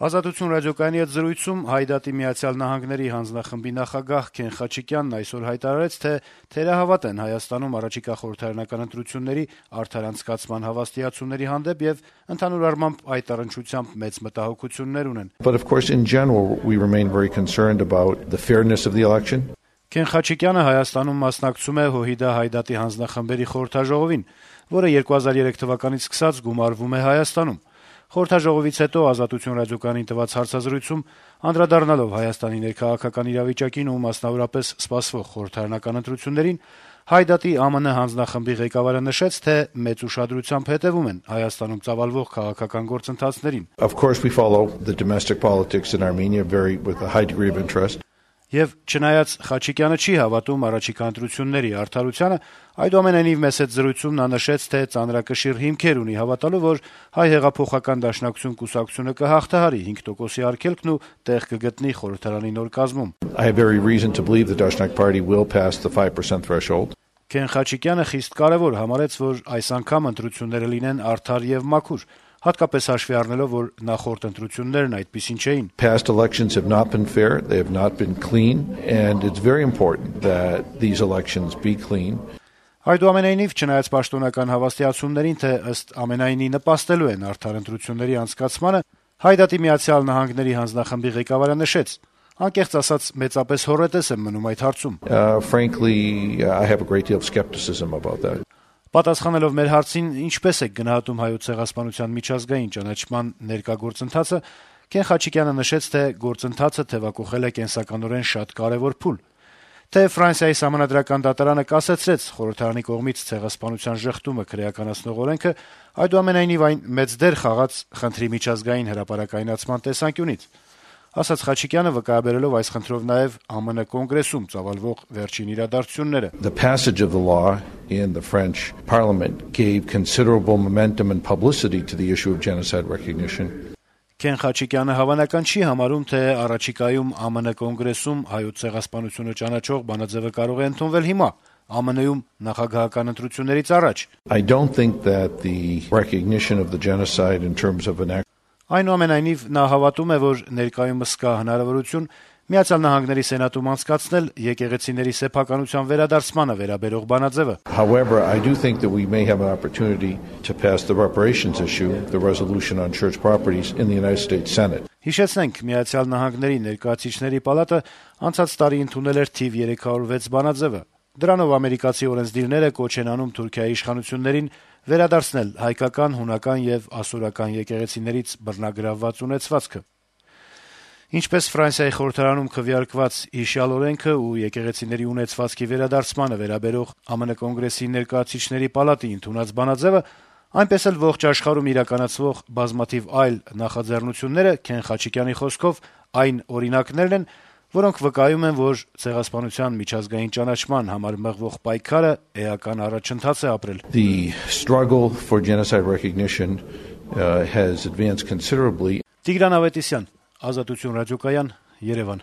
Ազատություն ռադիոկայանի հետ զրույցում Հայդատի Միացյալ Նահանգների հանձնախմբի նախագահ Քեն Խաչիկյանն այսօր հայտարարեց, թե թերահավատ են Հայաստանում առաջիկա խորհրդարանական ընտրությունների արդար անցկացման հավաստիացումների հանդեպ եւ ընդհանուր առմամբ այդ առնչությամբ մեծ մտահոգություններ ունեն. But of course in general we remain very concerned about the fairness of the election. Քեն Խաչիկյանը Հայաստանում մասնակցում է ՀՅԴ Հայդատի հանձնախմբերի խորհրդաժողովին, որը 2003 թվականից սկսած գումարվում է Հայաստանում. Խորհրդաժողովից հետո Ազատություն ռադիոկայանին տված հարցազրույցում անդրադառնալով Հայաստանի ներքաղաքական իրավիճակին ու մասնավորապես սպասվող խորհրդարանական ընտրություններին, Հայդատի ԱՄՆ հանձնախմբի ղեկավարը նշեց, թե մեծ ուշադրությամբ հետևում են Հայաստանում ծավալվող քաղաքական գործընթացներին. Of course we follow the domestic politics in Armenia with a high degree of interest. Եվ չնայած Խաչիկյանը չի հավատում առաջիկա ընտրությունների արդարությանը, այդուամենայնիվ մեծ հետ զրույցում նա նշեց, թե ծանրակշիռ հիմքեր ունի հավատալու, որ Հայ հեղափոխական դաշնակցություն կուսակցությունը կհաղթահարի 5%-ի արգելքն ու տեղ կգտնի խորհրդարանի նոր կազմում. I have every reason to believe the Dashnak Party will pass the 5% threshold. Քեն Խաչիկյանը խիստ կարևոր համարեց, որ այս անգամ ընտրությունները լինեն արդար եւ մաքուր, հատկապես հաշվի առնելով, որ նախորդ ընտրություններն այդպիսին չէին. Past elections have not been fair, they have not been clean, and it's very important that these elections be clean. Այդուամենայնիվ, չնայած պաշտոնական հավաստիացումներին, թե ըստ ամենայնի նպաստելու են արդար ընտրությունների անցկացմանը, Հայդատի Միացյալ Նահանգների հանձնախմբի ղեկավարը նշեց. անկեղծ ասած մեծապես հոռետես եմ մնում այդ հարցում. Frankly, I have a great deal of skepticism about that. Պատասխանելով մեր հարցին, ինչպես է գնահատում Հայոց ցեղասպանության միջազգային ճանաչման ներկա գործընթացը, Քեն Խաչիկյանը նշեց, թե գործընթացը թեւակոխել է կենսականորեն շատ կարեւոր փուլ. Թե Ֆրանսիայի սահմանադրական դատարանը կասեցրեց խորհրդարանի կողմից ցեղասպանության ժխտումը քրեականացնող օրենքը, այդուամենայնիվ այն մեծ դեր խաղաց խնդրի միջազգային հրապարակայնացման տեսանկյունից. ասաց Խաչիկյանը, վկայաբերելով այս խնդրով նաեւ ԱՄՆ կոնգրեսում ծավալվող վերջին իրադարձությունները. The passage of the law in the French Parliament gave considerable momentum and publicity to the issue of genocide recognition. Քեն Խաչիկյանը հավանական չի համարում, թե առաջիկայում ԱՄՆ կոնգրեսում հայոց ցեղասպանությունը ճանաչող բանաձևը կարող է ընդունվել հիմա, ԱՄՆ-ում նախագահական ընտրություններից առաջ. I don't think that the recognition of the genocide in terms of an act. Այնուամենայնիվ նա հավատում է, որ ներկայումս կա հնարավորություն Միացյալ Նահանգների Սենատում անցկացնել եկեղեցիների սեփականության վերադարձմանը վերաբերող բանաձևը. However, I do think that we may have an opportunity to pass the reparations issue, the resolution on church properties in the United States Senate. Հիշեցնենք, Միացյալ Նահանգների ներկայացուցիչների պալատը անցած տարի ընդունել էր թիվ 306 բանաձևը. Դրանով ամերիկացի օրենսդիրները կոչ են անում Թուրքիայի իշխանություններին վերադարձնել հայկական, հունական եւ ասորական եկեղեցիներից բռնագրավված ունեցվածքը. Ինչպես Ֆրանսիայի խորհրդարանում քվեարկված հիշյալ օրենքը ու եկեղեցիների ունեցվածքի վերադարձմանը վերաբերող ԱՄՆ կոնգրեսի ներկայացուցիչների պալատի ընդունած բանաձևը, այնպես էլ ողջ աշխարհում իրականացվող բազմաթիվ այլ նախաձեռնությունները Քեն Խաչիկյանի խոսքով այն օրինակներն են, որոնք վկայում են, որ ցեղասպանության միջազգային ճանաչման համար մղվող պայքարը էական առաջընթաց է ապրել. The struggle for genocide recognition has advanced considerably. Տիգրան Ավետիսյան, Ազատություն ռադիոկայան, Երևան.